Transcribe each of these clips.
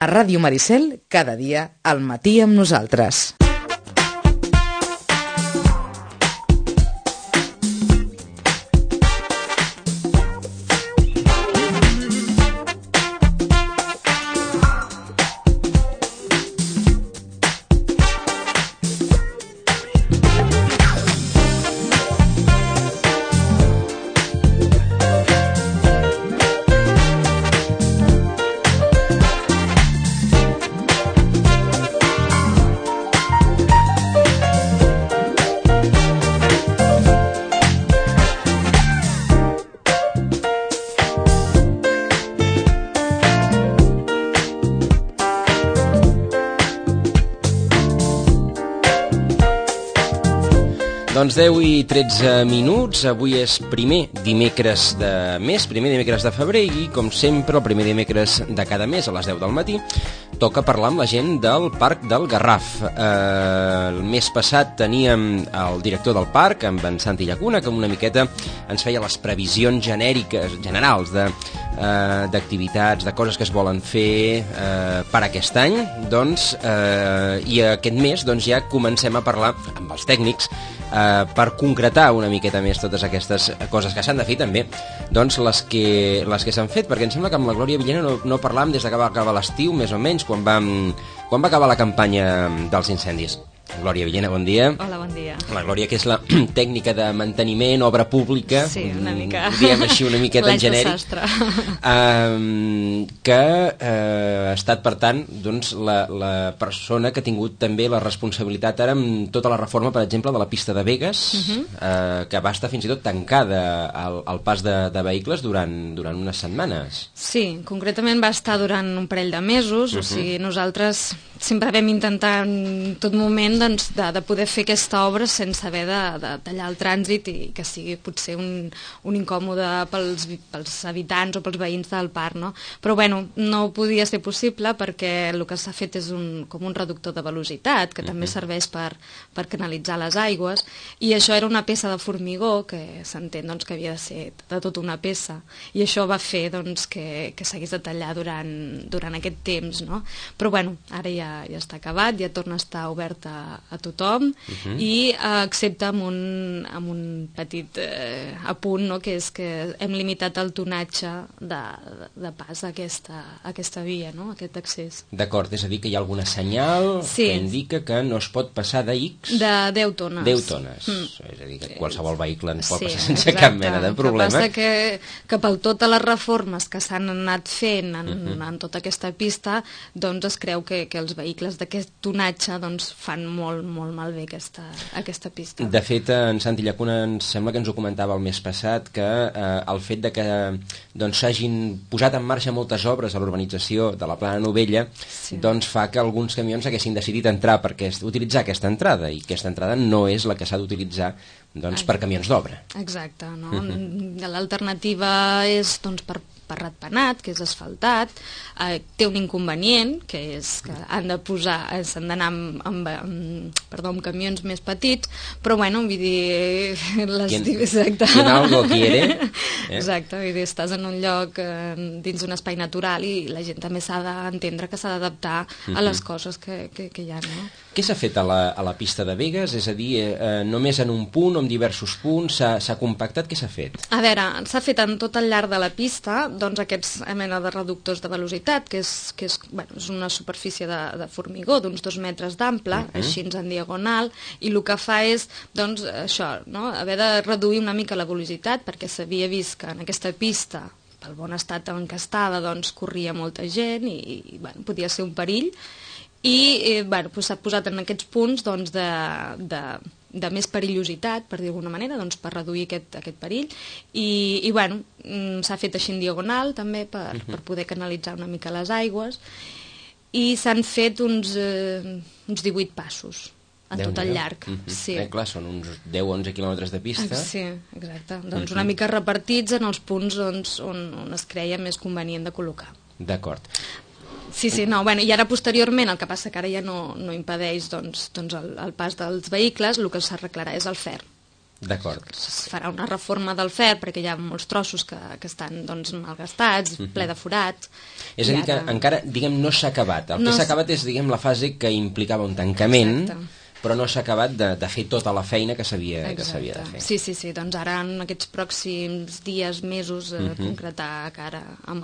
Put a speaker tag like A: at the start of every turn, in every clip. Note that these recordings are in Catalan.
A: A Ràdio Maricel, cada dia, al matí amb nosaltres.
B: Doncs 10 i 13 minuts, avui és primer dimecres de mes, primer dimecres de febrer i, com sempre, el primer dimecres de cada mes a les 10 del matí toca parlar amb la gent del Parc del Garraf. El mes passat teníem el director del parc, amb en Santi Llacuna, que una miqueta ens feia les previsions generals d'activitats, de coses que es volen fer per aquest any. I aquest mes ja comencem a parlar amb els tècnics per concretar una miqueta més totes aquestes coses que s'han de fer també, doncs les que s'han fet, perquè em sembla que amb la Glòria Villena no parlàvem des que va acabar l'estiu, més o menys, quan va acabar la campanya dels incendis. Glòria Villena, bon dia.
C: Hola, bon dia.
B: La Glòria, que és la tècnica de manteniment, obra pública.
C: Sí, una mica.
B: Diem així una miqueta en genèric. Que ha estat, per tant, doncs, la persona que ha tingut també la responsabilitat ara amb tota la reforma, per exemple, de la pista de Begues, que va estar fins i tot tancada al pas de vehicles durant unes setmanes.
C: Sí, concretament va estar durant un parell de mesos, o sigui, nosaltres sempre vam intentar en tot moment de poder fer aquesta obra sense haver de tallar el trànsit i que sigui potser un incòmode pels habitants o pels veïns del parc, no? Però bueno, no podia ser possible perquè el que s'ha fet és com un reductor de velocitat que també serveix per canalitzar les aigües, i això era una peça de formigó que s'entén que havia de ser de tota una peça, i això va fer que s'hagués de tallar durant aquest temps, no? Però bueno, ara ja està acabat, ja torna a estar oberta a tothom, i excepte amb un petit apunt, no? Que és que hem limitat el tonatge de pas a aquesta via, no? Aquest accés.
B: D'acord, és a dir, que hi ha alguna senyal que indica que no es pot passar de X?
C: De 10 tones.
B: 10 tones. És a dir, que qualsevol vehicle en pot passar sense cap mena de problema.
C: El que passa que per totes les reformes que s'han anat fent en tota aquesta pista, doncs es creu que els vehicles d'aquest tonatge fan molt malbé aquesta pista.
B: De fet, en Santi Llacuna ens sembla que ens ho comentava el mes passat, que el fet de que s'hagin posat en marxa moltes obres a l'urbanització de la Plana Novella fa que alguns camions haguessin decidit utilitzar aquesta entrada, i aquesta entrada no és la que s'ha d'utilitzar per camions d'obra.
C: Exacte, no? L'alternativa és per ratpenat, que és asfaltat, té un inconvenient, que és que s'han d'anar amb camions més petits, però bueno, vull dir...
B: Quien algo quiere.
C: Exacte, vull dir, estàs en un lloc dins d'un espai natural i la gent també s'ha d'entendre que s'ha d'adaptar a les coses que hi ha, no?
B: Què s'ha fet a la pista de Begues? És a dir, només en un punt o en diversos punts? S'ha compactat? Què s'ha fet?
C: A veure, s'ha fet en tot el llarg de la pista aquests mena de reductors de velocitat, que és una superfície de formigó d'uns 2 metres d'ample, així en diagonal, i el que fa és això, haver de reduir una mica la velocitat, perquè s'havia vist que en aquesta pista, pel bon estat en què estava, corria molta gent i podia ser un perill, i s'ha posat en aquests punts de més perillositat, per dir d'alguna manera, per reduir aquest perill, i s'ha fet així en diagonal també per poder canalitzar una mica les aigües, i s'han fet uns 18 passos en tot el llarg.
B: Clar, són uns 10-11 quilòmetres de pista.
C: Sí, exacte. Una mica repartits en els punts on es creia més convenient de col·locar.
B: D'acord.
C: Sí, i ara posteriorment, el que passa que ara ja no impedeix el pas dels vehicles, el que s'arreglarà és el ferm.
B: D'acord.
C: Es farà una reforma del fer perquè hi ha molts trossos que estan doncs, malgastats, ple de forats.
B: És a dir, que encara, diguem, no s'ha acabat. El que s'ha acabat és, diguem, la fase que implicava un tancament, però no s'ha acabat de fer tota la feina que s'havia de fer.
C: Sí, doncs ara en aquests pròxims dies, mesos, concretar cara amb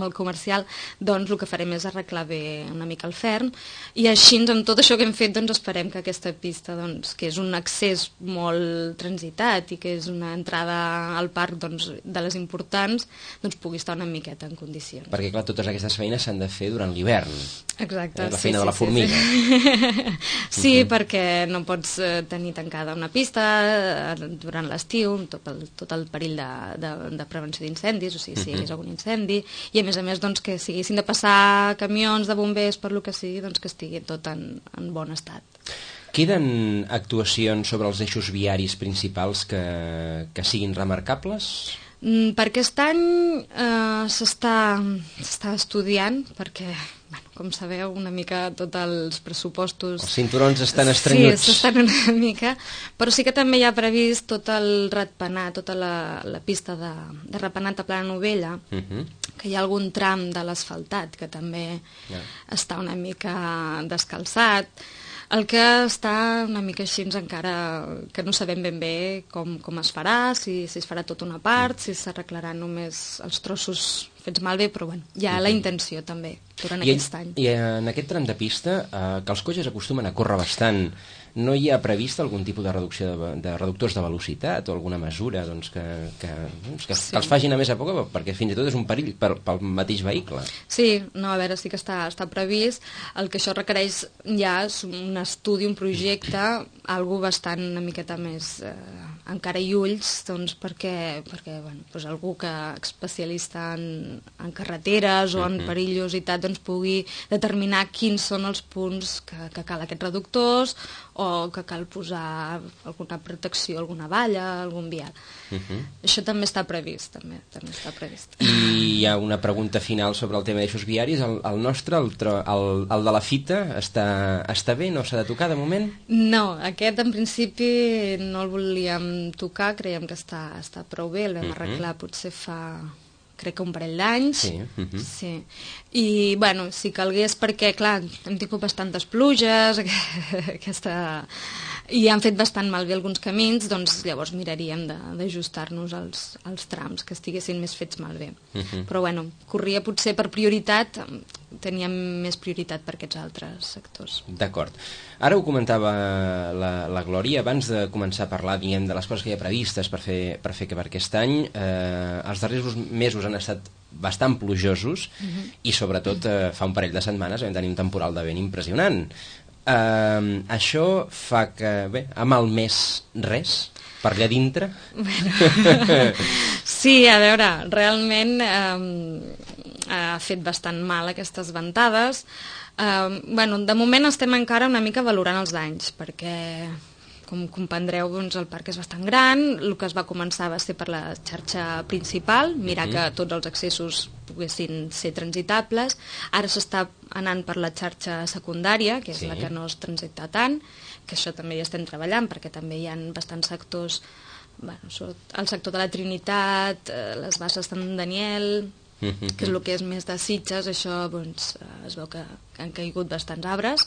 C: el comercial, doncs el que farem és arreglar bé una mica el ferm, i així amb tot això que hem fet doncs esperem que aquesta pista, doncs, que és un accés molt transitat i que és una entrada al parc doncs, de les importants, doncs pugui estar una miqueta en condicions.
B: Perquè clar, totes aquestes feines s'han de fer durant l'hivern.
C: Exacte.
B: La feina de la formiga.
C: Sí, perquè no pots tenir tancada una pista durant l'estiu, tot el perill de prevenció d'incendis, o sigui, si hi hagués algun incendi, i a més doncs, que si haguessin de passar camions de bombers per lo que sigui, doncs que estigui tot en bon estat.
B: Queden actuacions sobre els eixos viaris principals que siguin remarcables?
C: Per aquest any s'està estudiant, perquè, com sabeu, una mica tots els pressupostos...
B: Els cinturons estan estrenyuts.
C: Sí, s'estan una mica, però sí que també hi ha previst tot el ratpenat, tota la pista de ratpenat a Plana Novella, que hi ha algun tram de l'asfaltat que també està una mica descalçat. El que està una mica així encara que no sabem ben bé com es farà, si es farà tota una part, si s'arreglaran només els trossos fets malbé, però bueno, hi ha la intenció també durant aquest any.
B: I en aquest tram de pista, que els cotxes acostumen a córrer bastant, no hi ha previst algun tipus de reducció de reductors de velocitat o alguna mesura doncs, que els facin a més a poc, perquè fins i tot és un perill pel mateix vehicle?
C: Sí, no, a veure, sí que està previst. El que això requereix ja és un estudi, un projecte, algo bastant una miqueta més encara i ulls, doncs, perquè bueno, doncs algú que especialista en carreteres o en perillositat doncs pugui determinar quins són els punts que cal aquests reductors o que cal posar alguna protecció, alguna valla, algun vial. Això també està previst, també està previst.
B: I hi ha una pregunta final sobre el tema d'eixos viaris. El nostre, el de la fita, està bé? No s'ha de tocar de moment?
C: No, aquest en principi no el volíem tocar, creiem que està prou bé, el vam arreglar potser fa... crec que un parell d'anys. Sí. I, bueno, si calgués, perquè, clar, hem tingut bastantes pluges, i han fet bastant malbé alguns camins, doncs llavors miraríem d'ajustar-nos als trams, que estiguessin més fets malbé. Però, bueno, corria potser per prioritat, teníem més prioritat per aquests altres sectors.
B: D'acord. Ara ho comentava la Glòria, abans de començar a parlar, diguem, de les coses que hi ha previstes per fer per aquest any. Els darrers mesos han estat bastant plujosos i sobretot fa un parell de setmanes vam tenir un temporal de vent impressionant. Això fa que, bé, ha malmès res per allà dintre?
C: Bueno, sí, a veure, realment ha fet bastant mal aquestes ventades. Bueno, de moment estem encara una mica valorant els danys, perquè, com comprendreu, doncs, el parc és bastant gran. El que es va començar va ser per la xarxa principal, mirar que tots els accessos poguessin ser transitables. Ara s'està anant per la xarxa secundària, que és la que no es transita tant, que això també hi estem treballant, perquè també hi ha bastants sectors, bueno, el sector de la Trinitat, les Basses de Daniel, que és el que és més de Sitges. Això doncs, es veu que han caigut bastants arbres.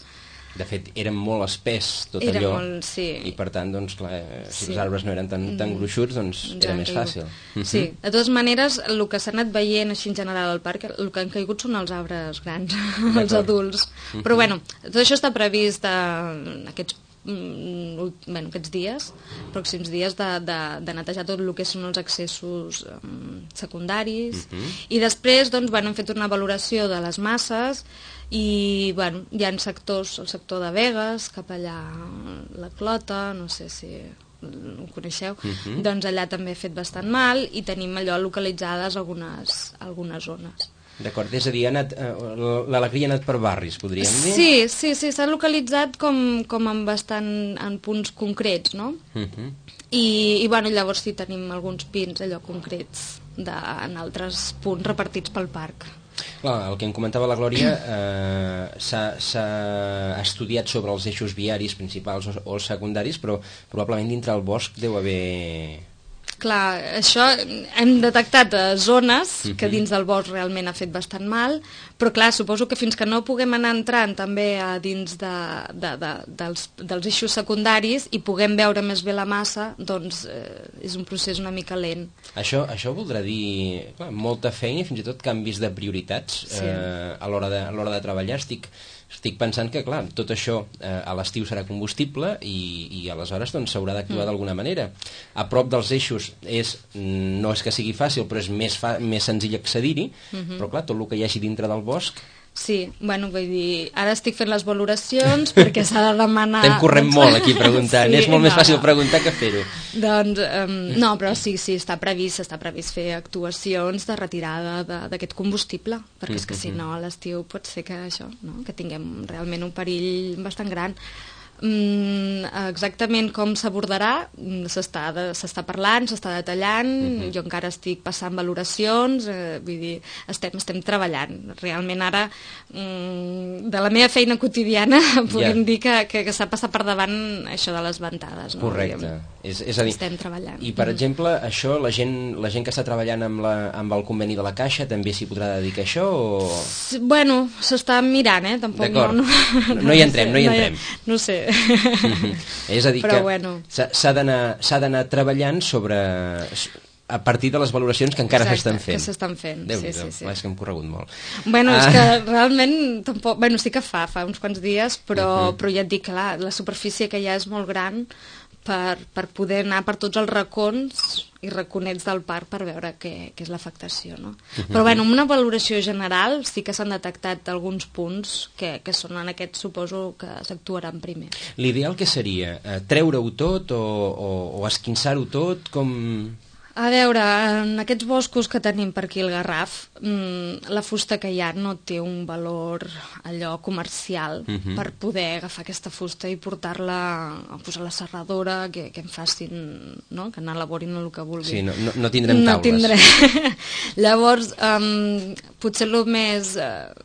B: De fet, eren molt espès tot allò, i per tant, doncs, clar, si els arbres no eren tan gruixuts, doncs era més fàcil.
C: Sí, de totes maneres, el que s'ha anat veient així en general al parc, el que han caigut són els arbres grans, els adults. Però bueno, tot això està previst aquests dies, pròxims dies, de netejar tot el que són els accessos secundaris, i després doncs, hem fet una valoració de les masses i hi ha sectors, el sector de Begues, cap allà la Clota, no sé si ho coneixeu, doncs allà també ha fet bastant mal i tenim allò localitzades algunes zones.
B: D'acord, és a dir, l'alegria ha anat per barris, podríem dir?
C: Sí, s'ha localitzat com en punts concrets, no? I llavors sí, tenim alguns pins allò concrets en altres punts repartits pel parc.
B: Clar, el que em comentava la Glòria, s'ha estudiat sobre els eixos viaris principals o els secundaris, però probablement dintre el bosc deu haver...
C: Clar, això hem detectat zones que dins del bosc realment ha fet bastant mal, però clar, suposo que fins que no puguem anar entrant també a dins dels eixos secundaris i puguem veure més bé la massa, doncs és un procés una mica lent.
B: Això voldrà dir clar, molta feina i fins i tot canvis de prioritats a l'hora de treballar. Estic pensant que, clar, tot això a l'estiu serà combustible i aleshores doncs, s'haurà d'actuar d'alguna manera. A prop dels eixos no és que sigui fàcil, però és més senzill accedir-hi, però clar, tot el que hi hagi dintre del bosc...
C: Sí, bueno, vull dir, ara estic fent les valoracions perquè s'ha de demanar...
B: Estem corrent molt aquí preguntant, és molt més fàcil preguntar que fer-ho.
C: Doncs, no, però sí, està previst fer actuacions de retirada d'aquest combustible, perquè és que si no a l'estiu pot ser que això, no? Que tinguem realment un perill bastant gran. Exactament com s'abordarà s'està parlant, s'està detallant, jo encara estic passant valoracions, vull dir, estem treballant realment ara de la meva feina quotidiana podem dir que s'ha passat per davant això de les ventades, no?
B: Correcte, és a dir,
C: estem treballant.
B: I per exemple, això, la gent que està treballant amb el conveni de la Caixa també s'hi podrà dedicar a això o...
C: Bueno, s'està mirant, tampoc.
B: D'acord, no hi entrem.
C: No sé.
B: És a dir,
C: però
B: que
C: bueno,
B: s'ha d'anar treballant a partir de les valoracions que encara s'estan fent.
C: Que s'estan fent.
B: Déu-n'hi-do,
C: sí.
B: és que hem corregut molt.
C: Bueno, és que realment tampoc... Bueno, sí que fa uns quants dies, però ja et dic, clar, la superfície que hi ha és molt gran per poder anar per tots els racons i raconets del parc per veure què és l'afectació, no? Però bueno, amb una valoració general sí que s'han detectat alguns punts que són en aquest, suposo que s'actuaran primer.
B: L'ideal què seria? Treure-ho tot o esquinçar-ho tot? Com...
C: A veure, en aquests boscos que tenim per aquí al Garraf, la fusta que hi ha no té un valor allò comercial per poder agafar aquesta fusta i portar-la a la serradora, que em facin, no? Que n'elaborin el que vulguin.
B: Sí, no tindrem taules.
C: Llavors, potser el més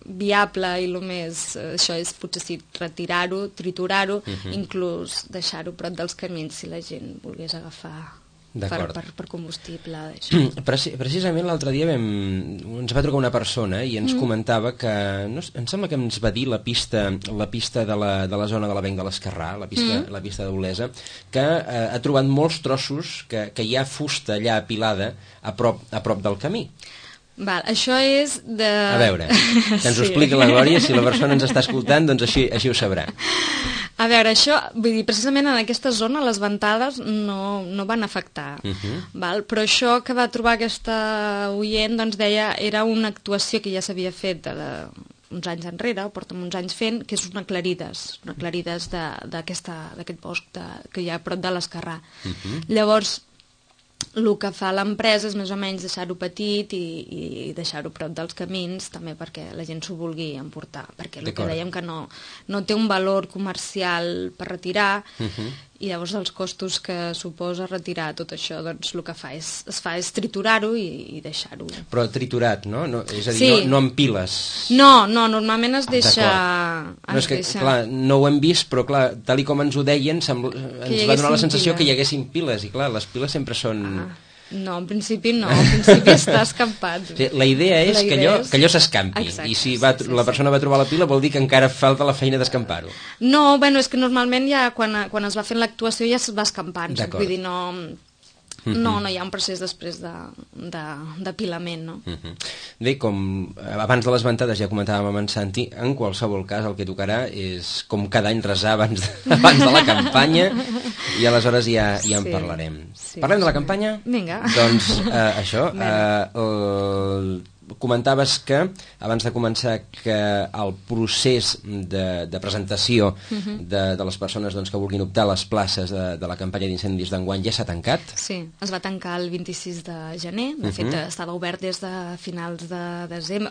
C: viable i el més... això és potser sí, retirar-ho, triturar-ho, inclús deixar-ho prop dels camins si la gent volgués agafar... Per combustible.
B: Precisament l'altre dia ens va trucar una persona i ens comentava que, em sembla que ens va dir la pista de la zona de l'Avenc de l'Esquerrà, la pista d'Olesa, que ha trobat molts trossos que hi ha fusta allà apilada a prop del camí.
C: Val, això és de...
B: A veure, que ens ho expliqui la Glòria, si la persona ens està escoltant, doncs així ho sabrà.
C: A veure, això, vull dir, precisament en aquesta zona les ventades no van afectar, val? Però això que va trobar aquesta oient, doncs deia, era una actuació que ja s'havia fet uns anys enrere, o porta'm uns anys fent, que és una aclarides d'aquest bosc que hi ha a prop de l'Esquerrà. Llavors, el que fa l'empresa és més o menys deixar-ho petit i deixar-ho prop dels camins també perquè la gent s'ho vulgui emportar, perquè el que dèiem que no té un valor comercial per retirar i llavors els costos que suposa retirar tot això, doncs el que es fa és triturar-ho i deixar-ho.
B: Però triturat, no? És a dir, no en piles.
C: No, normalment es deixa...
B: No, és que, clar, no ho hem vist, però clar, tal com ens ho deien, ens va donar la sensació que hi haguessin piles, i clar, les piles sempre són...
C: No, en principi no, en principi està escampat.
B: Sí, la idea és que allò s'escampi, i si la persona va trobar la pila vol dir que encara falta la feina d'escampar-ho.
C: No, bueno, és que normalment ja quan es va fent l'actuació ja es va escampant, vull dir, no hi ha un procés després d'apilament, no?
B: Bé, com abans de les ventades ja comentàvem amb en Santi, en qualsevol cas el que tocarà és, com cada any, resar abans de la campanya i aleshores ja en parlarem. Parlem de la campanya?
C: Vinga.
B: Doncs això, comentaves que, abans de començar, que el procés de presentació de les persones que vulguin optar a les places de la campanya d'incendis d'enguany ja s'ha tancat?
C: Sí, es va tancar el 26 de gener, de fet estava obert des de finals de desembre,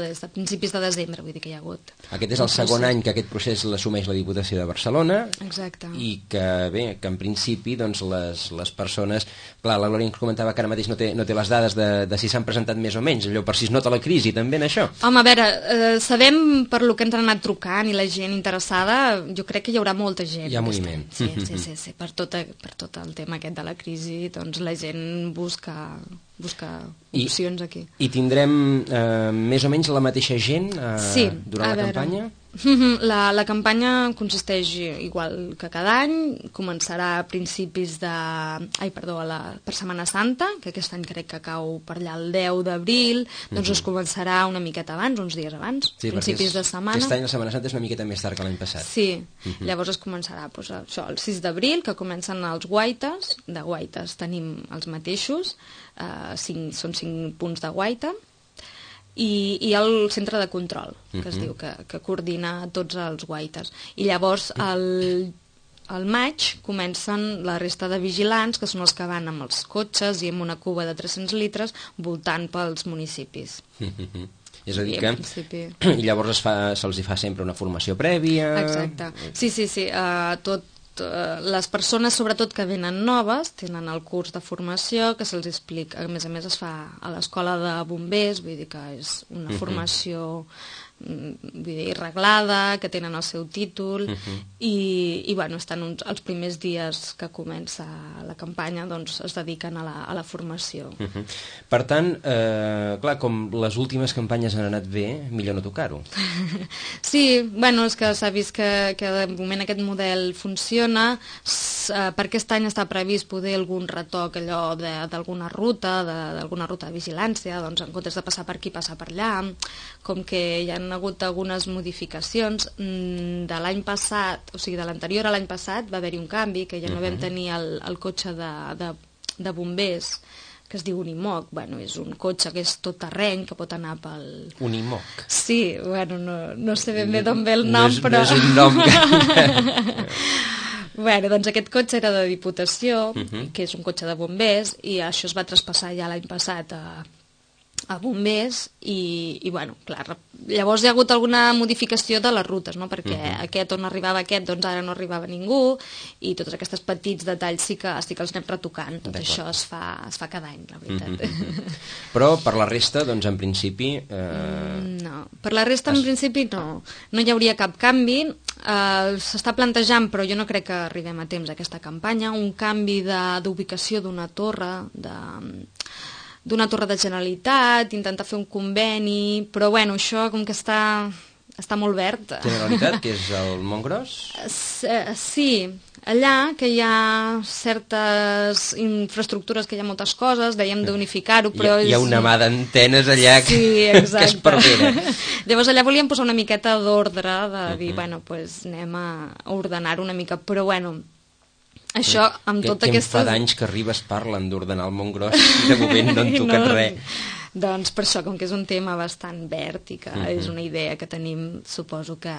C: des de principis de desembre, vull dir que hi ha hagut.
B: Aquest és el segon any que aquest procés l'assumeix la Diputació de Barcelona.
C: Exacte.
B: I que, bé, que en principi les persones... Clar, la Glòria ens comentava que ara mateix no té les dades de si s'han presentat més o menys. allò per si es nota la crisi també en això?
C: Home, a veure, sabem per lo que ens han anat trucant i la gent interessada, jo crec que hi haurà molta gent.
B: Hi ha moviment.
C: Sí, per tot el tema aquest de la crisi, doncs la gent busca opcions aquí.
B: I tindrem més o menys la mateixa gent durant la campanya?
C: La campanya consisteix igual que cada any, començarà a principis per Setmana Santa, que aquest any crec que cau per allà el 10 d'abril, doncs es començarà una miqueta abans, uns dies abans, principis de setmana.
B: Aquest any la Setmana Santa és una miqueta més tard que l'any passat.
C: Sí, llavors es començarà això, el 6 d'abril, que comencen els guaites, de guaites tenim els mateixos, són 5 punts de guaita, i el centre de control, que es diu, que coordina tots els guaites. I llavors al maig comencen la resta de vigilants, que són els que van amb els cotxes i amb una cuba de 300 litres voltant pels municipis.
B: És a dir que llavors se'ls fa sempre una formació prèvia...
C: Exacte. Sí. Les persones, sobretot que venen noves, tenen el curs de formació que se'ls explica. A més es fa a l'escola de bombers, vull dir que és una formació reglada, que tenen el seu títol, i bueno, estan els primers dies que comença la campanya, doncs es dediquen a la formació.
B: Per tant, clar, com les últimes campanyes han anat bé, millor no tocar-ho.
C: Sí, bueno, és que s'ha vist que de moment aquest model funciona, per aquest any està previst poder algun retoc allò d'alguna ruta de vigilància, doncs en comptes de passar per aquí, passar per allà, com que hi ha hagut algunes modificacions de l'any passat, o sigui de l'anterior a l'any passat va haver-hi un canvi, que ja no vam tenir el cotxe de bombers que es diu Unimog. Bueno, és un cotxe que és tot terreny, que pot anar pel...
B: Unimog?
C: Sí, bueno, no sé ben bé d'on ve el nom, però...
B: No és un nom que...
C: Bueno, doncs aquest cotxe era de Diputació, que és un cotxe de bombers, i això es va traspassar ja l'any passat a bombers, i bueno, clar, llavors hi ha hagut alguna modificació de les rutes, no? Perquè aquest on arribava aquest, doncs ara no arribava ningú, i tots aquests petits detalls sí que els anem retocant. Tot això es fa cada any, la veritat.
B: Però per la resta, doncs en principi...
C: No, per la resta en principi no hi hauria cap canvi. S'està plantejant, però jo no crec que arribem a temps a aquesta campanya, un canvi d'ubicació d'una torre de Generalitat, intentar fer un conveni, però bueno, això com que està molt verd.
B: Generalitat, que és el Montgros?
C: Sí, allà que hi ha certes infraestructures, que hi ha moltes coses, dèiem d'unificar-ho, però...
B: Hi ha una mà d'antenes allà que es perdera.
C: Llavors allà volíem posar una miqueta d'ordre, de dir, bueno, doncs anem a ordenar una mica, però bueno... Això, amb tota aquesta...
B: Que en fa d'anys que arribes parlen d'ordenar el Montgros i de moment no en toquen res.
C: Doncs per això, com que és un tema bastant verd i que és una idea que tenim, suposo que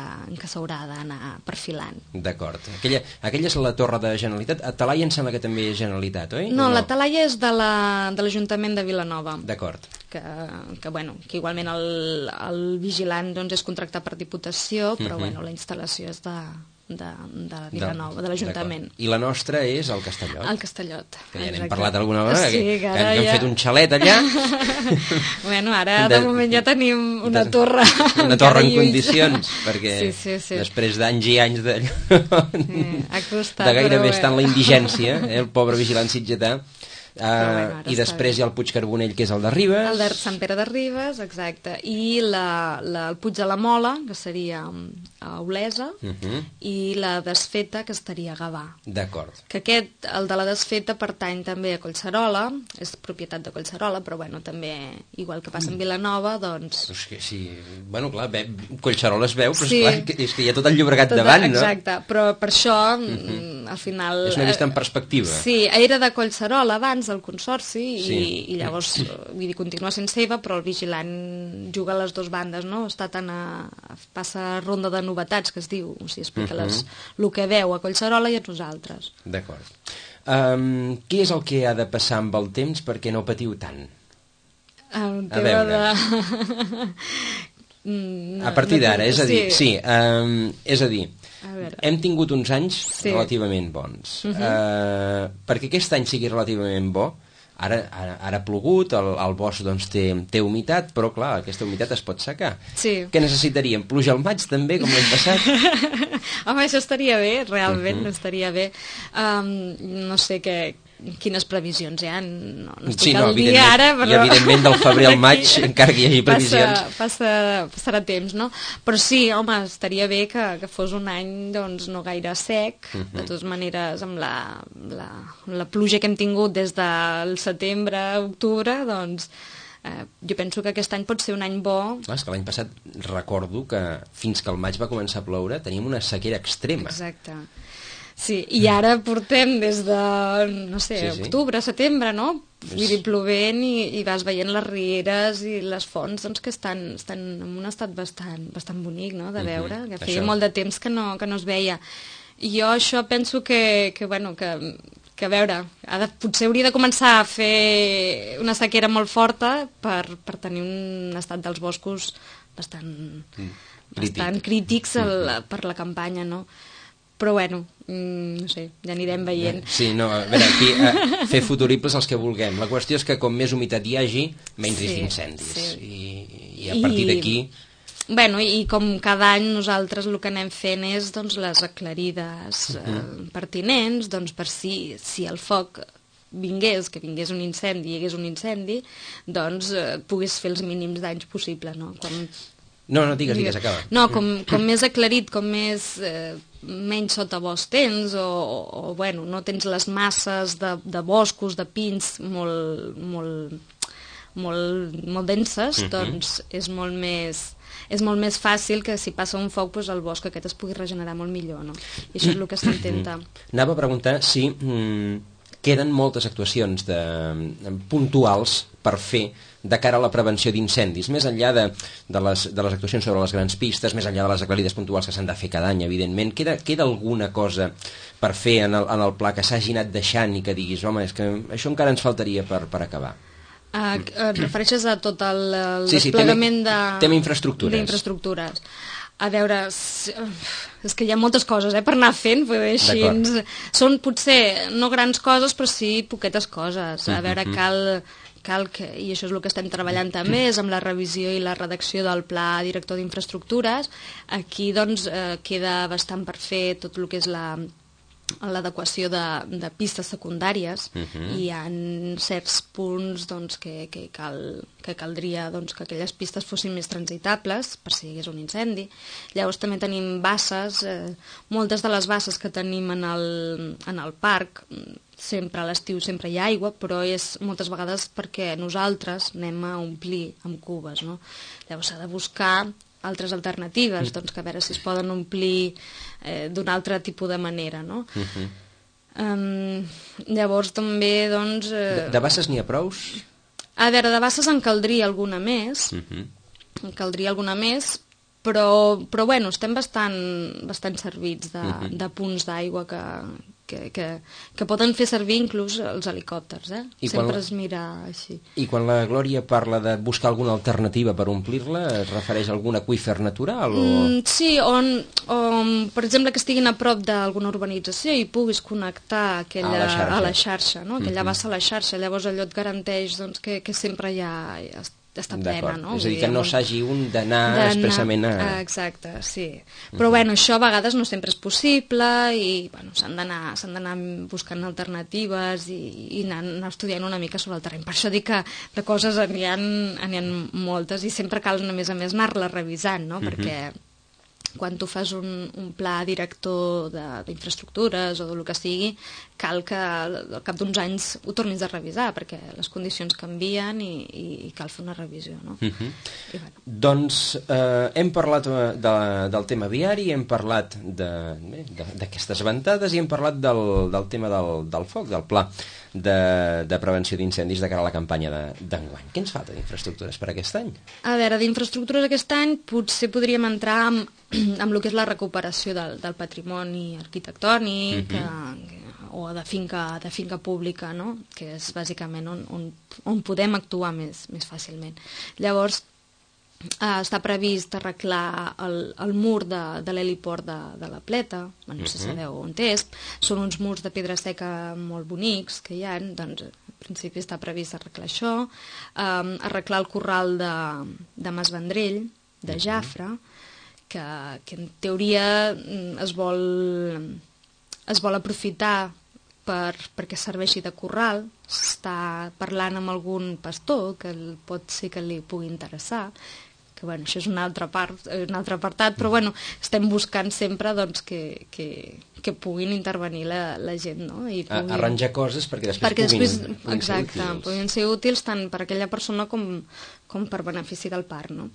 C: s'haurà d'anar perfilant.
B: D'acord. Aquella és la torre de Generalitat. A Talaia em sembla que també és Generalitat, oi?
C: No, la Talaia és de l'Ajuntament de Vilanova.
B: D'acord.
C: Que igualment el vigilant doncs, és contractat per Diputació, però bueno, la instal·lació és de Vilanova, de l'Ajuntament.
B: I la nostra és el Castellot.
C: El Castellot.
B: Que ja n'hem parlat alguna vegada,
C: sí,
B: que hem fet un xalet allà.
C: Bueno, ara de moment ja tenim una torre.
B: Una torre en condicions, perquè
C: sí.
B: després d'anys i anys de
C: gairebé
B: estar en la indigència, el pobre vigilant sitgetà. I després hi ha el Puig Carbonell, que és el de Ribes.
C: El de Sant Pere de Ribes, exacte. I el Puig de la Mola, que seria a Olesa, i la Desfeta, que estaria a Gavà.
B: D'acord.
C: Que el de la Desfeta, pertany també a Collserola, és propietat de Collserola, però bueno, també, igual que passa en Vilanova, doncs...
B: És que sí, bueno, clar, Collserola es veu, però esclar, és que hi ha tot el Llobregat davant, no?
C: Exacte, però per això, al final...
B: És una vista en perspectiva.
C: Sí, era de Collserola abans, el Consorci, i llavors, vull dir, continua sent seva, però el vigilant juga a les dues bandes, no? Passa ronda de novetats, que es diu, o sigui, explica el que veu a Collserola i a nosaltres.
B: D'acord. Què és el que ha de passar amb el temps perquè no patiu tant?
C: A veure...
B: A partir d'ara, és a dir, és a dir, hem tingut uns anys relativament bons. Perquè aquest any sigui relativament bo, Ara ha plogut, el bosc doncs, té humitat, però clar, aquesta humitat es pot secar.
C: Sí.
B: Què necessitaríem? Pluja al maig també, com l'any passat?
C: Home, això estaria bé, realment, estaria bé. No sé quines previsions hi ha, no estic al dia ara, però...
B: I evidentment del febrer al maig, encara que hi hagi previsions...
C: Passarà temps, no? Però sí, home, estaria bé que fos un any doncs, no gaire sec, de totes maneres, amb la pluja que hem tingut des del setembre, octubre, doncs... jo penso que aquest any pot ser un any bo.
B: Clar, és que l'any passat recordo que fins que al maig va començar a ploure teníem una sequera extrema.
C: Exacte. Sí, i ara portem des de, no sé, octubre, setembre, no? Vull dir, plovent i vas veient les rieres i les fonts doncs, que estan en un estat bastant bonic, no?, de veure, que feia molt de temps que no es veia. I jo això penso que a veure, potser hauria de començar a fer una sequera molt forta per tenir un estat dels boscos bastant crítics per la campanya, no? Però bueno, no sé, ja anirem veient.
B: Sí, no, a veure, aquí fer futuribles els que vulguem. La qüestió és que com més humitat hi hagi, menys risc d'incendis. I a partir d'aquí...
C: Bueno, i com cada any nosaltres el que anem fent és doncs, les aclarides pertinents, doncs per si el foc vingués un incendi, hi hagués un incendi, doncs pogués fer els mínims danys possibles, no?
B: No, digues, acaba.
C: No, com més aclarit, com menys sotabosc tens, o bueno, no tens les masses de boscos, de pins molt denses, doncs és molt més fàcil que si passa un foc el bosc aquest es pugui regenerar molt millor, no? I això és el que s'intenta.
B: Anava a preguntar si queden moltes actuacions puntuals per fer de cara a la prevenció d'incendis, més enllà de les actuacions sobre les grans pistes, més enllà de les aclarides puntuals que s'han de fer cada any, evidentment. Queda alguna cosa per fer en el pla que s'hagi anat deixant i que diguis, home, és que això encara ens faltaria per acabar?
C: Et refereixes a tot el desplegament
B: tema infraestructures.
C: A veure, és que hi ha moltes coses per anar fent, així. Són potser no grans coses, però sí poquetes coses. A veure, cal que, i això és el que estem treballant també, és amb la revisió i la redacció del Pla Director d'Infraestructures. Aquí doncs queda bastant per fer tot el que és l'adequació de pistes secundàries. I hi ha certs punts doncs, que caldria doncs, que aquelles pistes fossin més transitables per si hi hagués un incendi. Llavors també tenim basses, moltes de les basses que tenim en el parc, sempre a l'estiu sempre hi ha aigua, però és moltes vegades perquè nosaltres anem a omplir amb cubes, no? Llavors s'ha de buscar altres alternatives, doncs, que a veure si es poden omplir d'un altre tipus de manera, no? Llavors també, doncs...
B: De basses n'hi ha prous?
C: A veure, de basses en caldria alguna més, però bueno, estem bastant servits de punts d'aigua que poden fer servir inclús els helicòpters, sempre es mira així.
B: I quan la Glòria parla de buscar alguna alternativa per omplir-la, es refereix a algun aqüífer natural?
C: Sí, per exemple, que estiguin a prop d'alguna urbanització i puguis connectar a la xarxa, no? Aquella bassa a la xarxa, llavors allò et garanteix doncs, que sempre hi ha... està plena, no?
B: És a dir, que no s'hagi d'anar expressament a...
C: Exacte, sí. Però bueno, això a vegades no sempre és possible i bueno, s'han d'anar buscant alternatives i anar estudiant una mica sobre el terreny. Per això dic que de coses n'hi ha moltes i sempre cal, a més anar-les revisant, no? Perquè quan tu fas un pla director d'infraestructures o del que sigui, cal que al cap d'uns anys ho tornis a revisar, perquè les condicions canvien i cal fer una revisió, no?
B: Doncs hem parlat del tema viari, hem parlat d'aquestes ventades i hem parlat del tema del foc, del pla de prevenció d'incendis de cara a la campanya d'enguany. Què ens falta d'infraestructures per aquest any?
C: A veure, d'infraestructures aquest any potser podríem entrar amb el que és la recuperació del patrimoni arquitectònic o de finca pública, no? Que és bàsicament on podem actuar més fàcilment. Llavors, està previst arreglar el mur de l'heliport de la Pleta, no sé si sabeu on és, són uns murs de pedra seca molt bonics que hi ha, doncs principi està previst arreglar això, arreglar el corral de Mas Vendrell, de Jafre, que en teoria es vol aprofitar perquè serveixi de corral. S'està parlant amb algun pastor que pot ser que li pugui interessar, que bueno, això és un altre apartat, però bueno, estem buscant sempre doncs, que puguin intervenir la gent, no? I
B: arranjar coses perquè després puguin ser útils.
C: Puguin ser útils tant per aquella persona com per benefici del parc, no?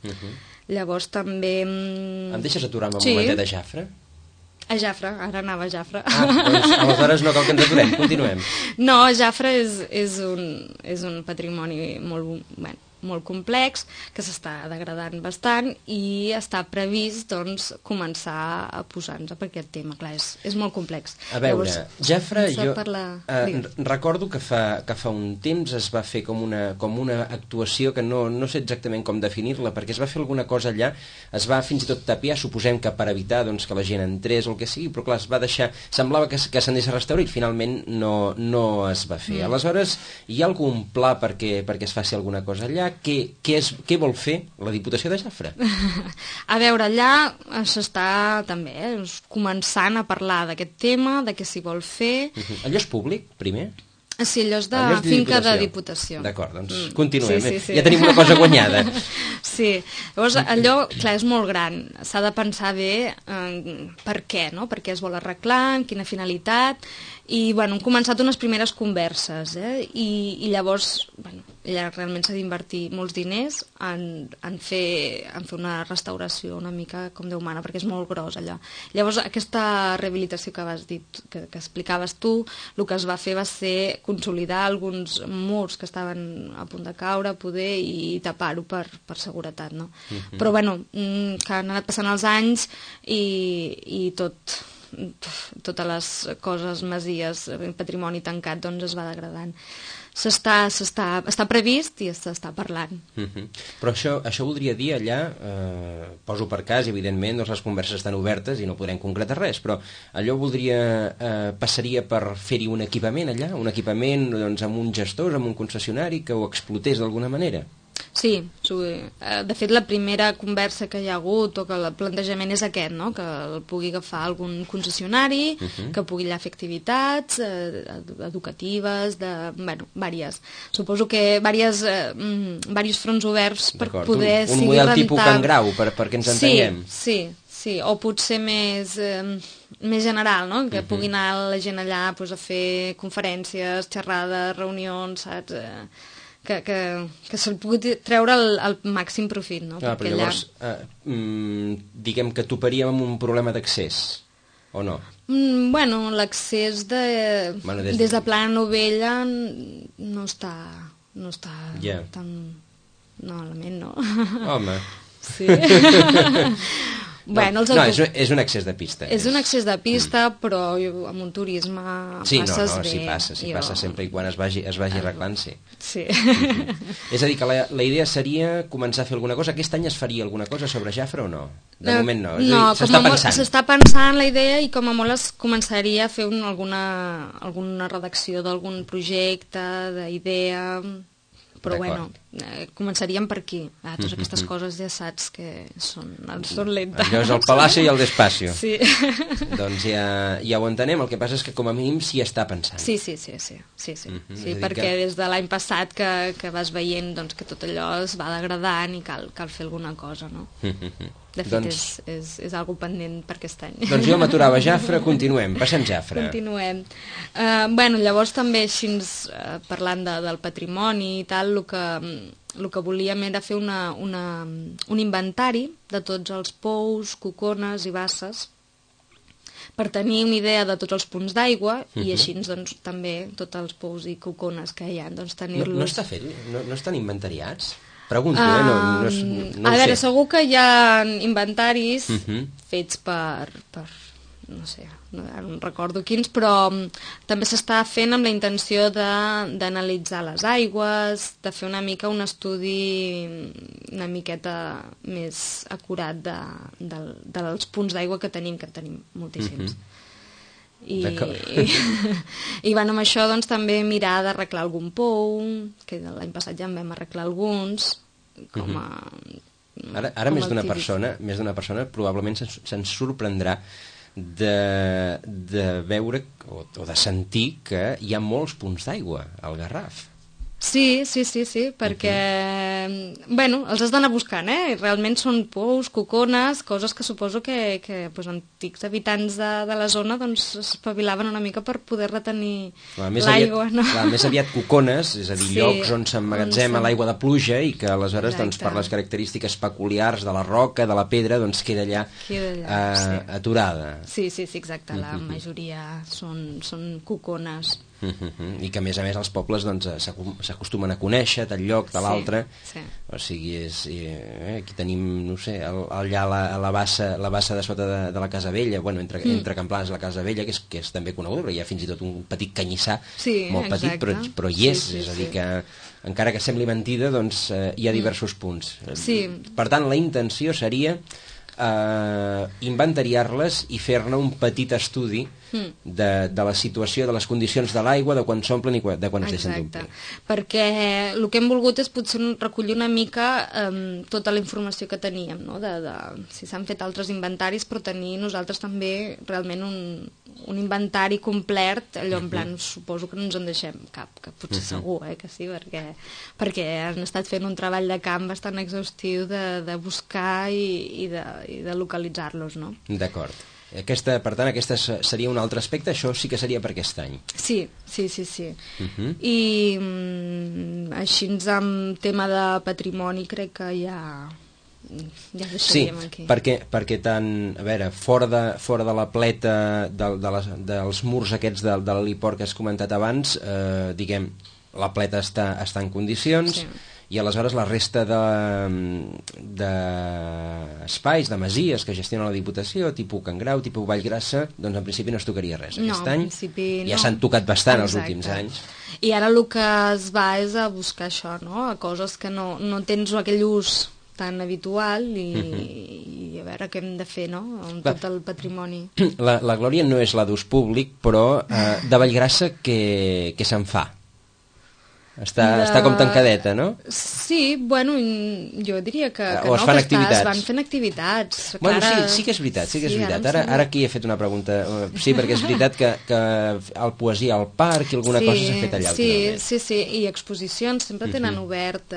C: Llavors també...
B: Em deixes aturar-me un momentet a Jafre?
C: A Jafre, ara anava a Jafre.
B: Doncs aleshores no cal que ens aturem, continuem.
C: No, Jafre és un patrimoni molt complex, que s'està degradant bastant i està previst doncs, començar a posar-nos per aquest tema. Clar, és molt complex.
B: A veure, Jafre, jo recordo que fa un temps es va fer com una actuació que no sé exactament com definir-la, perquè es va fer alguna cosa allà, es va fins i tot tapiar, suposem que per evitar doncs, que la gent entrés o el que sigui, però clar, es va deixar, semblava que s'anés a restaurar i finalment no es va fer. Aleshores, hi ha algun pla perquè es faci alguna cosa allà? Què vol fer la Diputació de Jafre?
C: A veure, allà s'està també començant a parlar d'aquest tema, de què s'hi vol fer.
B: Allò és públic, primer?
C: Sí, allò és de finca de Diputació.
B: D'acord, doncs continuem. Sí. Ja tenim una cosa guanyada.
C: Sí, llavors allò, clar, és molt gran. S'ha de pensar bé per què, no? Per què es vol arreglar, amb quina finalitat. I, bueno, hem començat unes primeres converses, i llavors, bueno, allà realment s'ha d'invertir molts diners en fer una restauració una mica com Déu mana, perquè és molt gros allà. Llavors, aquesta rehabilitació que has dit, que explicaves tu, el que es va fer va ser consolidar alguns murs que estaven a punt de caure, poder, i tapar-ho per seguretat, no? Però, bueno, que han anat passant els anys i totes les coses, masies, patrimoni tancat, doncs es va degradant. Està previst i s'està parlant.
B: Però això voldria dir allà, poso per cas, evidentment, doncs les converses estan obertes i no podrem concretar res, però allò passaria per fer-hi un equipament allà, un equipament doncs, amb un gestor, amb un concessionari que ho explotés d'alguna manera?
C: Sí, de fet la primera conversa que hi ha hagut o que el plantejament és aquest, no? Que el pugui agafar algun concessionari, que pugui allà fer activitats educatives, vàries. Suposo que diversos fronts oberts per poder
B: seguir rentant. Un model tipus Can Grau, perquè ens entenguem.
C: Sí, o potser més general, no? Que pugui anar la gent allà a fer conferències, xerrades, reunions, saps? Que se'l pugui treure el màxim profit, no?
B: Però llavors, diguem que toparíem amb un problema d'accés, o no?
C: Bueno, l'accés des de Plana Novella no està tan malament, no?
B: Home.
C: Sí.
B: No, és un accés de pista.
C: És un accés de pista, però amb un turisme passes bé.
B: Sí passa sempre i quan es vagi arreglant, sí. És a dir, que la idea seria començar a fer alguna cosa. Aquest any es faria alguna cosa sobre Jafre o no? De moment no.
C: No, s'està pensant la idea i com a molt es començaria a fer alguna redacció d'algun projecte, d'idea... Però bueno, començaríem per aquí. Totes aquestes coses ja saps que són lentes.
B: Allò és el Palacio i el Despacio.
C: Sí.
B: Doncs ja ho entenem, el que passa és que com a mínim s'hi està pensant.
C: Sí, perquè des de l'any passat que vas veient que tot allò es va degradant i cal fer alguna cosa, no? De fet, és algo pendent per aquest any.
B: Doncs jo m'aturava a Jafre, continuem, passem Jafre.
C: Continuem. Llavors també així parlant del patrimoni i tal, el que volíem era fer un inventari de tots els pous, cocones i basses per tenir una idea de tots els punts d'aigua i així doncs, també tots els pous i cocones que hi ha, doncs tenir-los...
B: No està fet? No estan inventariats? Pregunto, no
C: a veure, segur que hi ha inventaris fets per no sé, no recordo quins, però també s'està fent amb la intenció d'analitzar les aigües, de fer una mica un estudi una miqueta més acurat dels punts d'aigua que tenim moltíssims. I bueno, amb això doncs també mirar d'arreglar algun pou, que l'any passat ja en vam arreglar alguns, com a...
B: Ara més d'una persona probablement se'n sorprendrà de veure o de sentir que hi ha molts punts d'aigua al Garraf.
C: Sí, perquè bueno, els has d'anar buscant, realment són pous, cocones, coses que suposo que doncs, antics habitants de la zona doncs espavilaven una mica per poder retenir l'aigua, no?
B: Més aviat cocones, és a dir, llocs on s'emmagatzema l'aigua de pluja i que aleshores doncs, per les característiques peculiars de la roca, de la pedra, doncs queda allà aturada.
C: Sí, exacte, la majoria són cocones.
B: I que a més els pobles doncs, s'acostumen a conèixer tal lloc, tal altre. O sigui, aquí tenim, no sé, allà a la bassa de sota de la Casa Vella, bueno, entre Camplans i la Casa Vella, que és també coneguda, però hi ha fins i tot un petit canyissar, molt petit, però hi és, és a dir que encara que sembli mentida, doncs hi ha diversos punts. Per tant, la intenció seria inventariar-les i fer-ne un petit estudi de la situació, de les condicions de l'aigua, de quan s'omplen i de quan es deixen d'omplir.
C: Perquè el que hem volgut és potser recollir una mica tota la informació que teníem, no? Si s'han fet altres inventaris, però tenir nosaltres també realment un inventari complet, allò en plan, suposo que no ens en deixem cap, que potser segur, que sí, perquè han estat fent un treball de camp bastant exhaustiu de buscar i de localitzar-los, no?
B: D'acord. Per tant, aquest seria un altre aspecte, això sí que seria per aquest any.
C: Sí. I així amb tema de patrimoni crec que ja deixaríem aquí.
B: Sí, perquè tant, a veure, fora de la pleta dels murs aquests de l'heliport que has comentat abans, diguem, la pleta està en condicions, i aleshores la resta d'espais, de masies que gestiona la Diputació, tipus Can Grau, tipus Vallgrassa, doncs en principi no es tocaria res. Aquest any ja s'han tocat bastant els últims anys.
C: I ara el que es va és a buscar això, no? A coses que no tens aquell ús tan habitual i a veure què hem de fer, no?, amb tot el patrimoni.
B: La Glòria no és la d'ús públic, però de Vallgrassa què se'n fa? Està com tancadeta, no?
C: Sí, bueno, jo diria que
B: no, es fan activitats.
C: Es van fent activitats.
B: Bueno, sí que és veritat. Ara aquí he fet una pregunta. Sí, perquè és veritat que el poesia al parc i alguna cosa s'ha fet allà.
C: Sí, i exposicions sempre tenen obert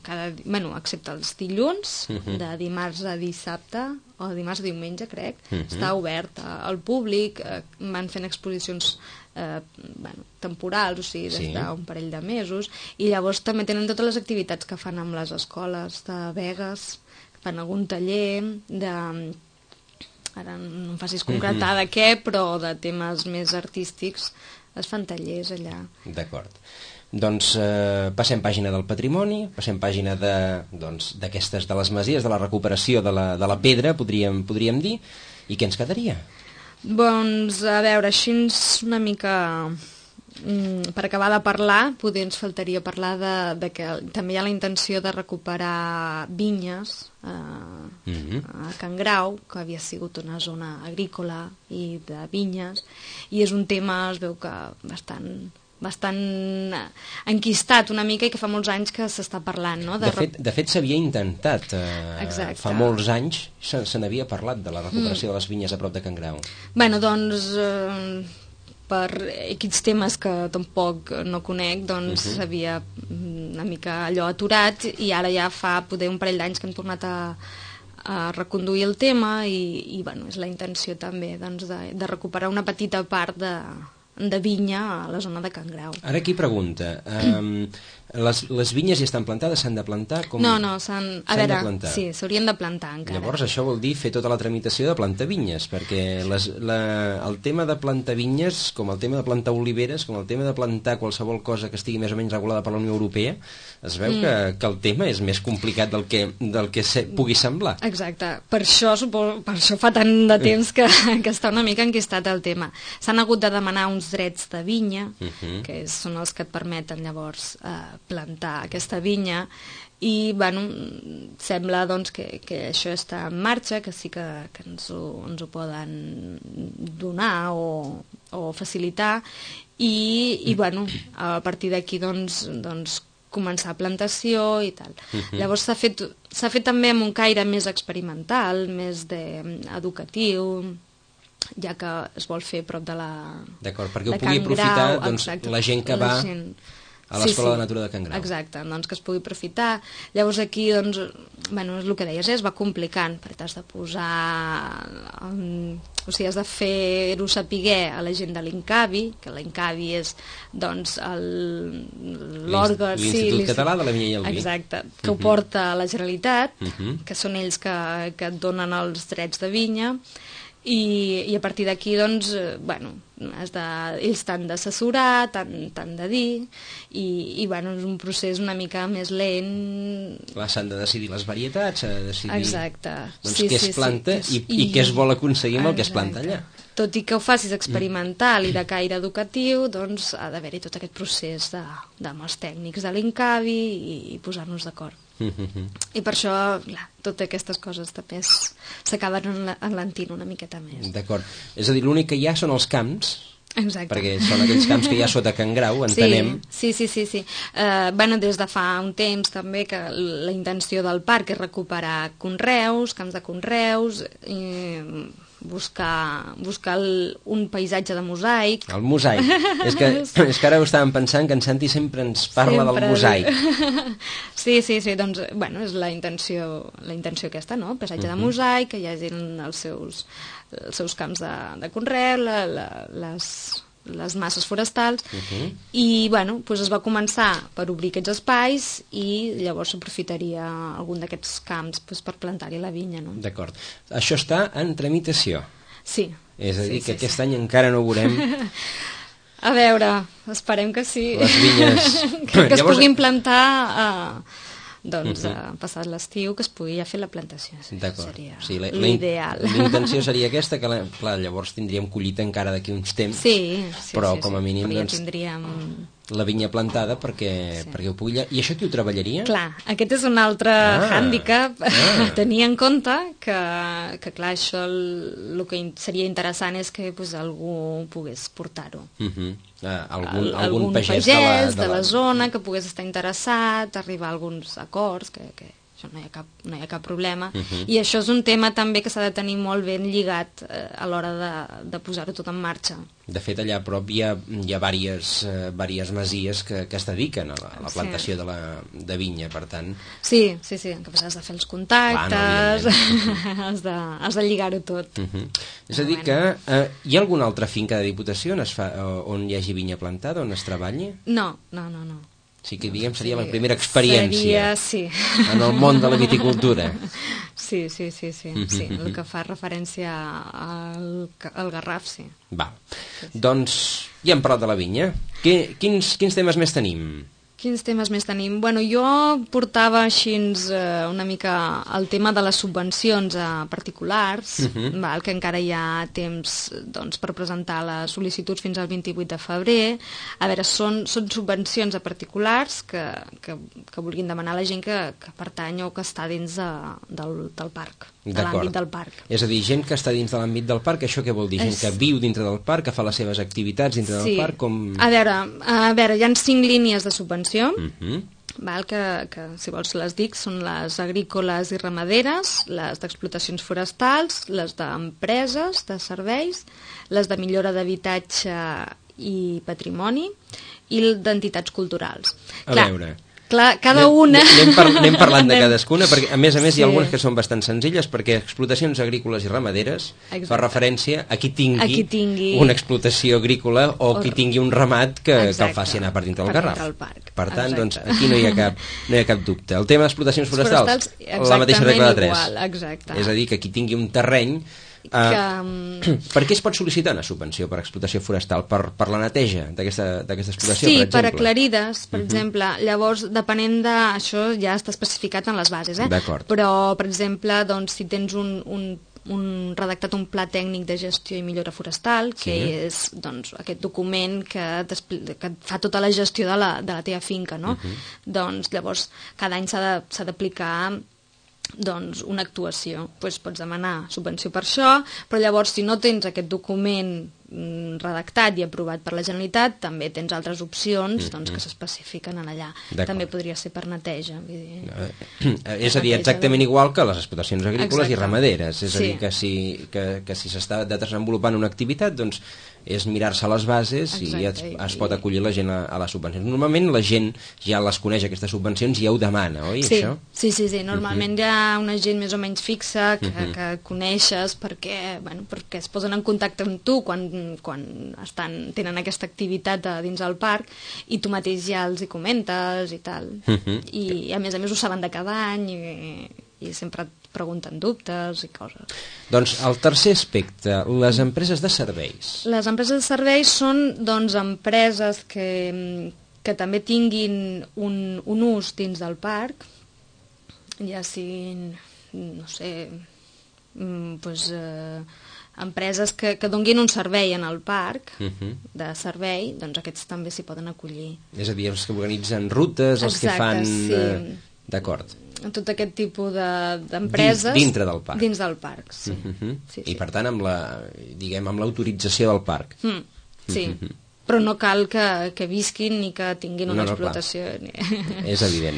C: excepte els dilluns, de dimarts a dissabte, o dimarts a diumenge, crec, està obert al públic, van fent exposicions temporals, o sigui, des d'un parell de mesos, i llavors també tenen totes les activitats que fan amb les escoles de Begues, fan algun taller ara no em facis concretar de què, però de temes més artístics es fan tallers allà.
B: D'acord. Doncs passem pàgina del patrimoni, passem pàgina d'aquestes, de les masies, de la recuperació de la pedra, podríem dir, i què ens quedaria?
C: Doncs, a veure, així una mica per acabar de parlar, potser ens faltaria parlar de que també hi ha la intenció de recuperar vinyes a Can Grau, que havia sigut una zona agrícola i de vinyes, i és un tema, es veu que bastant enquistat una mica i que fa molts anys que s'està parlant, no?
B: De fet s'havia intentat fa molts anys se n'havia parlat de la recuperació de les vinyes a prop de Can Grau.
C: Bueno, doncs per aquests temes que tampoc no conec, doncs s'havia una mica allò aturat, i ara ja fa poder un parell d'anys que hem tornat a reconduir el tema i bueno, és la intenció també de recuperar una petita part de vinya a la zona de Can Grau.
B: Ara aquí pregunta, les vinyes ja estan plantades, s'han de plantar?
C: No, sí, s'haurien de plantar encara.
B: Llavors això vol dir fer tota la tramitació de plantar vinyes, perquè el tema de plantar vinyes, com el tema de plantar oliveres, com el tema de plantar qualsevol cosa que estigui més o menys regulada per la Unió Europea, es veu que el tema és més complicat del que pugui semblar.
C: Exacte, per això fa tant de temps que està una mica enquistat el tema. S'han hagut de demanar uns drets de vinya, que són els que et permeten llavors plantar aquesta vinya, i bueno, sembla doncs, que això està en marxa, que sí que ens ho poden donar o facilitar, i bueno, a partir d'aquí doncs començar plantació i tal. Llavors s'ha fet també amb un caire més experimental, més educatiu, ja que es vol fer prop de la...
B: D'acord, perquè ho pugui aprofitar doncs, la gent que va a l'Escola de Natura de Can Grau.
C: Exacte, doncs que es pugui aprofitar. Llavors aquí, doncs, bueno, és el que deies, es va complicant, perquè has de posar... O sigui, has de fer-ho sapiguer a la gent de l'INCAVI, que l'INCAVI és, doncs, l'òrgan...
B: L'Institut Català de la Vinya i el Vi.
C: Exacte, que ho porta a la Generalitat, que són ells que et donen els drets de vinya, i a partir d'aquí, doncs, bueno, ells t'han d'assessorar, t'han de dir, i bueno, és un procés una mica més lent.
B: Clar, s'han de decidir les varietats, s'ha de decidir doncs, què es planta i què es vol aconseguir amb el que es planta allà.
C: Tot i que ho facis experimental i de caire educatiu, doncs ha d'haver-hi tot aquest procés amb els tècnics de l'INCAVI i posar-nos d'acord. I per això, clar, totes aquestes coses també s'acaben enlentint una miqueta més.
B: D'acord. És a dir, l'únic que hi ha són els camps.
C: Exacte.
B: Perquè són aquells camps que hi ha sota Can Grau, entenem.
C: Sí. Bueno, des de fa un temps també que la intenció del parc és recuperar conreus, camps de conreus, buscar un paisatge de mosaic.
B: El mosaic. És que ara ho estàvem pensant que en Santi sempre ens parla del mosaic.
C: Sí, doncs, bueno, és la intenció aquesta, no? El paisatge de mosaic, que hi hagi els seus camps de conreu, les masses forestals, i bueno, doncs es va començar per obrir aquests espais i llavors s'aprofitaria algun d'aquests camps per plantar-hi la vinya, no?
B: D'acord. Això està en tramitació.
C: Sí.
B: És a dir, que aquest any encara no ho veurem.
C: A veure, esperem que sí.
B: Les vinyes...
C: que es puguin plantar... doncs passat l'estiu que es pugui ja fer la plantació. Seria l'ideal.
B: L'intenció seria aquesta, que clar, llavors tindríem collita encara d'aquí uns temps, però com a mínim
C: ja
B: doncs,
C: tindríem
B: la vinya plantada perquè ho pugui... I això qui ho treballaria?
C: Clar, aquest és un altre hàndicap a tenir en compte que clar, això el que seria interessant és que algú pogués portar-ho.
B: Algun pagès
C: de la zona que pogués estar interessat, arribar a alguns acords, que això no hi ha cap problema, i això és un tema també que s'ha de tenir molt ben lligat a l'hora de posar-ho tot en marxa.
B: De fet, allà a prop hi ha diverses masies que es dediquen a la plantació de vinya, per tant...
C: Sí, en què has de fer els contactes, has de lligar-ho tot.
B: És a dir que hi ha alguna altra finca de Diputació on hi hagi vinya plantada, on es treballi?
C: No.
B: Sí que, diguem, seria la primera experiència en el món de la viticultura.
C: Sí, el que fa referència al Garraf, sí.
B: Va, doncs ja hem parlat de la vinya. Quins temes més tenim?
C: Quins temes més tenim? Bueno, jo portava així una mica el tema de les subvencions a particulars, que encara hi ha temps doncs, per presentar les sol·licituds fins al 28 de febrer. A veure, són subvencions a particulars que vulguin demanar a la gent que pertany o que està dins del parc, de l'àmbit del parc.
B: És a dir, gent que està dins de l'àmbit del parc, això què vol dir? Gent que viu dintre del parc, que fa les seves activitats dintre del parc?
C: A veure, hi ha 5 línies de subvenció, que si vols les dic, són les agrícoles i ramaderes, les d'explotacions forestals, les d'empreses, de serveis, les de millora d'habitatge i patrimoni i d'entitats culturals.
B: A veure...
C: Clar, cada una...
B: Anem parlant de cadascuna, perquè a més hi ha algunes que són bastant senzilles, perquè explotacions agrícoles i ramaderes fa referència a qui tingui una explotació agrícola o qui tingui un ramat que el faci anar per dintre del Garraf.
C: Per
B: tant, doncs, aquí no hi ha cap dubte. El tema d'explotacions forestals, la mateixa regla de 3.
C: Exacte.
B: És a dir, que qui tingui un terreny... Per què es pot sol·licitar una subvenció per explotació forestal? Per la neteja d'aquesta explotació, per exemple?
C: Sí, per aclarides, per exemple. Llavors, depenent de... Això ja està especificat en les bases,
B: D'acord.
C: Però, per exemple, doncs, si tens un redactat un pla tècnic de gestió i millora forestal, que és doncs, aquest document que fa tota la gestió de la teva finca, no? Doncs llavors cada any s'ha d'aplicar doncs, una actuació. Pots demanar subvenció per això, però llavors si no tens aquest document redactat i aprovat per la Generalitat, també tens altres opcions doncs, que s'especifiquen allà. També podria ser per neteja.
B: És a dir, exactament igual que les explotacions agrícoles i ramaderes. És a dir, que si s'està desenvolupant una activitat, doncs és mirar-se les bases i es pot acollir la gent a les subvencions. Normalment la gent ja les coneix, aquestes subvencions, i ja ho demana, oi?
C: Sí, normalment hi ha una gent més o menys fixa que coneixes perquè es posen en contacte amb tu quan tenen aquesta activitat dins del parc i tu mateix ja els hi comentes i tal. I a més ho saben de cada any i sempre et pregunten dubtes i coses.
B: Doncs el tercer aspecte, les empreses de serveis.
C: Les empreses de serveis són doncs empreses que també tinguin un ús dins del parc, ja siguin, no sé, doncs empreses que donguin un servei en el parc de servei, doncs aquests també s'hi poden acollir.
B: És a dir, els que organitzen rutes, els que fan... D'acord.
C: Tot aquest tipus d'empreses...
B: Dintre del parc.
C: Dins del parc, sí.
B: I per tant amb l'autorització del parc.
C: Sí, però no cal que visquin ni que tinguin una explotació.
B: És evident.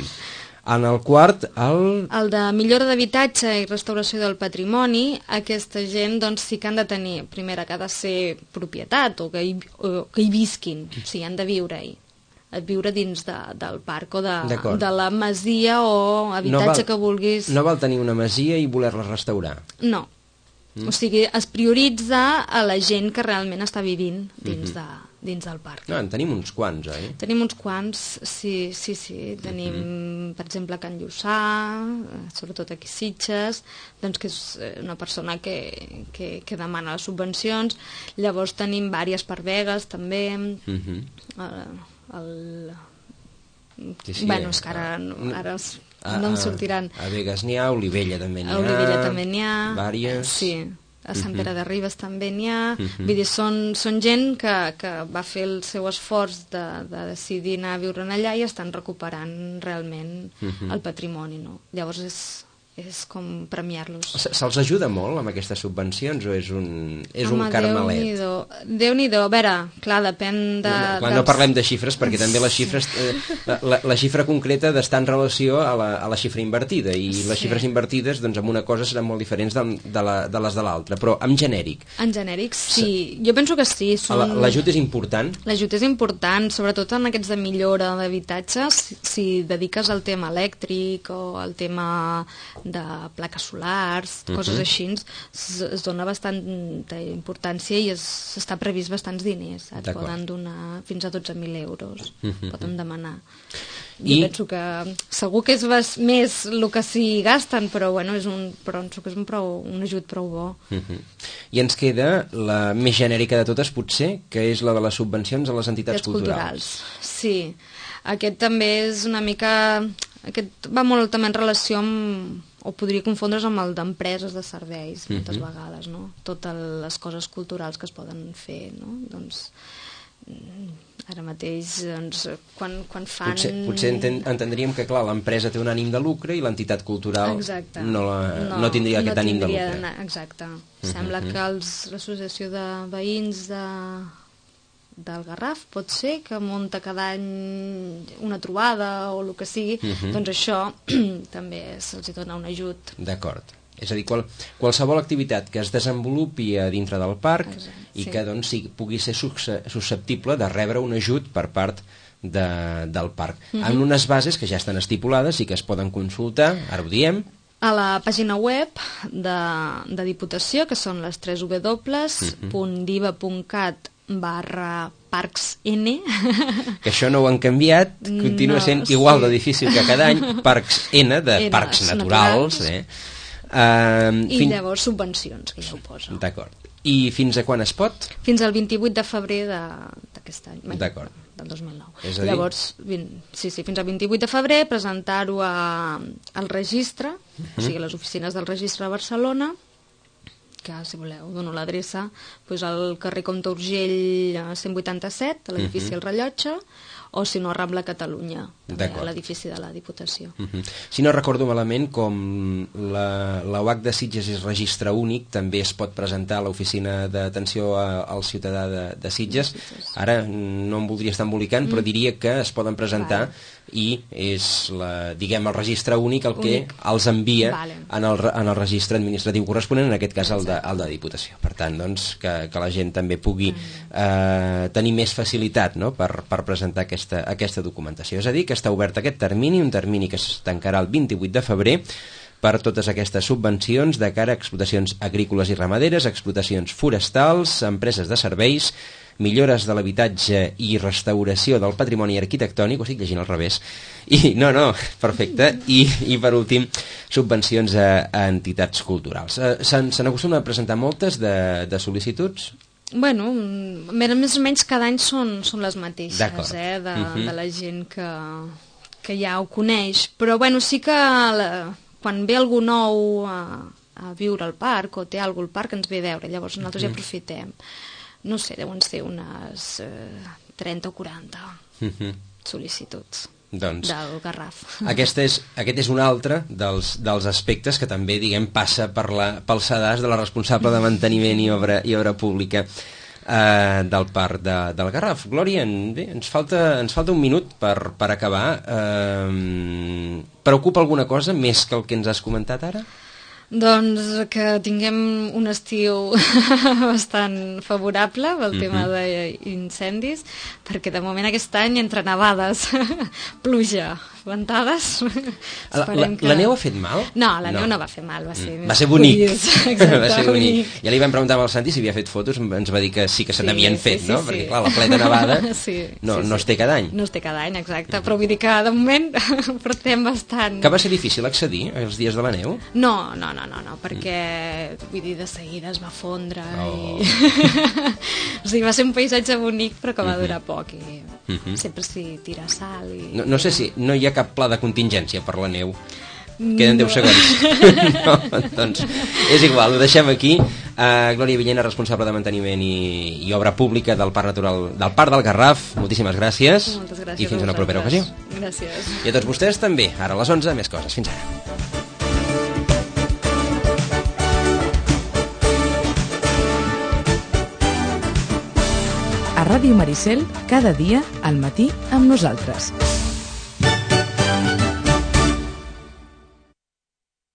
B: En el quart,
C: el de millora d'habitatge i restauració del patrimoni, aquesta gent doncs, sí que han de tenir, primera, que ha de ser propietat o que hi visquin, o sigui, han de viure-hi. Viure dins del parc o de la masia o habitatge que vulguis.
B: No val tenir una masia i voler-la restaurar?
C: No. O sigui, es prioritza a la gent que realment està vivint dins del parc.
B: No, en tenim uns quants, oi?
C: Tenim uns quants, sí. Tenim, per exemple, Can Lluçà, sobretot aquí a Sitges, doncs que és una persona que demana les subvencions. Llavors tenim vàries per Begues, també. Bueno, és que ara no em sortiran.
B: A Begues n'hi ha, a Olivella també n'hi ha.
C: A Olivella també n'hi ha.
B: Vàries.
C: Sí, a Sant Pere de Ribes també n'hi ha. Vull dir, són gent que va fer el seu esforç de decidir anar a viure allà i estan recuperant realment el patrimoni, no? Llavors és com premiar-los.
B: Se'ls ajuda molt amb aquestes subvencions o és un carmelet?
C: Déu-n'hi-do. A veure, clar, depèn de...
B: No parlem de xifres perquè també les xifres... La xifra concreta d'estar en relació a la xifra invertida i les xifres invertides doncs, en una cosa seran molt diferents de les de l'altra, però en genèric.
C: En genèric, sí. Jo penso que sí.
B: L'ajut és important?
C: L'ajut és important, sobretot en aquests de millora d'habitatge, si dediques al tema elèctric o al tema de plaques solars, coses així, es dona bastanta importància i està previst bastants diners. Et poden donar fins a 12.000 euros. Poden demanar. Jo penso que segur que és més el que s'hi gasten, però bueno, penso que és un ajut prou bo.
B: I ens queda la més genèrica de totes, potser, que és la de les subvencions a les entitats culturals.
C: Sí. Aquest també és una mica... Aquest va molt també en relació amb... o podria confondre's amb el d'empreses de serveis, moltes vegades, no? Totes les coses culturals que es poden fer, no? Doncs ara mateix, doncs, quan fan...
B: Potser entendríem que, clar, l'empresa té un ànim de lucre i l'entitat cultural no tindria aquest ànim de lucre.
C: Exacte. Sembla que l'associació de veïns del Garraf pot ser que munta cada any una trobada o el que sigui, doncs això també se'ls dona un ajut.
B: D'acord. És a dir, qualsevol activitat que es desenvolupi a dintre del parc i que doncs, pugui ser susceptible de rebre un ajut per part del parc. En unes bases que ja estan estipulades i que es poden consultar, ara ho diem,
C: a la pàgina web de Diputació, que són les 3 www.diva.cat/parcsn.
B: Que això no ho han canviat, continua sent igual de difícil que cada any, Parcs N, de parcs naturals.
C: I llavors subvencions, que ja ho posa.
B: D'acord. I fins a quan es pot?
C: Fins al 28 de febrer d'aquest any.
B: D'acord.
C: Del 2009.
B: És a dir...
C: Llavors, fins al 28 de febrer, presentar-ho al registre, o sigui, a les oficines del registre de Barcelona, que si voleu dono l'adreça, doncs al carrer Comte Urgell 187, a l'edifici El Rellotge, o si no, Rambla Catalunya, també a l'edifici de la Diputació.
B: Si no recordo malament, com la UAC de Sitges és registre únic, també es pot presentar a l'oficina d'atenció al ciutadà de Sitges. Ara no em voldria estar embolicant, però diria que es poden presentar i és diguem el registre únic el que els envia en el registre administratiu corresponent, en aquest cas el de Diputació. Per tant, doncs, que la gent també pugui tenir més facilitat, no?, per presentar aquesta documentació. És a dir, que està obert aquest termini, un termini que es tancarà el 28 de febrer per totes aquestes subvencions de cara a explotacions agrícoles i ramaderes, explotacions forestals, empreses de serveis, millores de l'habitatge i restauració del patrimoni arquitectònic, ho estic llegint al revés, perfecte, i per últim, subvencions a entitats culturals. Se n'acostumen a presentar moltes de sol·licituds?
C: Bueno, més o menys cada any són les mateixes, de la gent que ja ho coneix, però bueno, sí que quan ve algú nou a viure al parc o té algú al parc ens ve a veure, llavors nosaltres ja aprofitem. No sé, deuen ser unes 30 o 40 sol·licituds del Garraf. Aquest
B: és un altre dels aspectes que també, diguem, passa pel sedàs de la responsable de manteniment i obra pública del parc del Garraf. Glòria, ens falta un minut per acabar. Preocupa alguna cosa més que el que ens has comentat ara?
C: Doncs que tinguem un estiu bastant favorable pel tema d'incendis, perquè de moment aquest any entre nevades, pluja, ventades...
B: La neu ha fet mal?
C: No, la neu no va fer mal, va
B: ser bonic. Va ser bonic. Ja li vam preguntar al Santi si havia fet fotos, ens va dir que sí que se n'havien fet, no? Perquè clar, la plena nevada no es té cada any.
C: No es té cada any, exacte, però vull dir que de moment portem bastant...
B: Que va ser difícil accedir els dies de la neu?
C: No, perquè vull dir, de seguida es va fondre i... O sigui, va ser un paisatge bonic però que va durar poc i sempre s'hi tira sal i...
B: No sé si no hi ha cap pla de contingència per la neu. Queden 10 segons. No, doncs és igual, ho deixem aquí. Glòria Villena, responsable de manteniment i obra pública del Parc Natural del Parc del Garraf, moltíssimes gràcies.
C: Moltes gràcies
B: i fins a una propera ocasió.
C: Gràcies.
B: I a tots vostès també, ara a les 11 més coses. Fins ara.
A: A Ràdio Maricel, cada dia, al matí, amb nosaltres.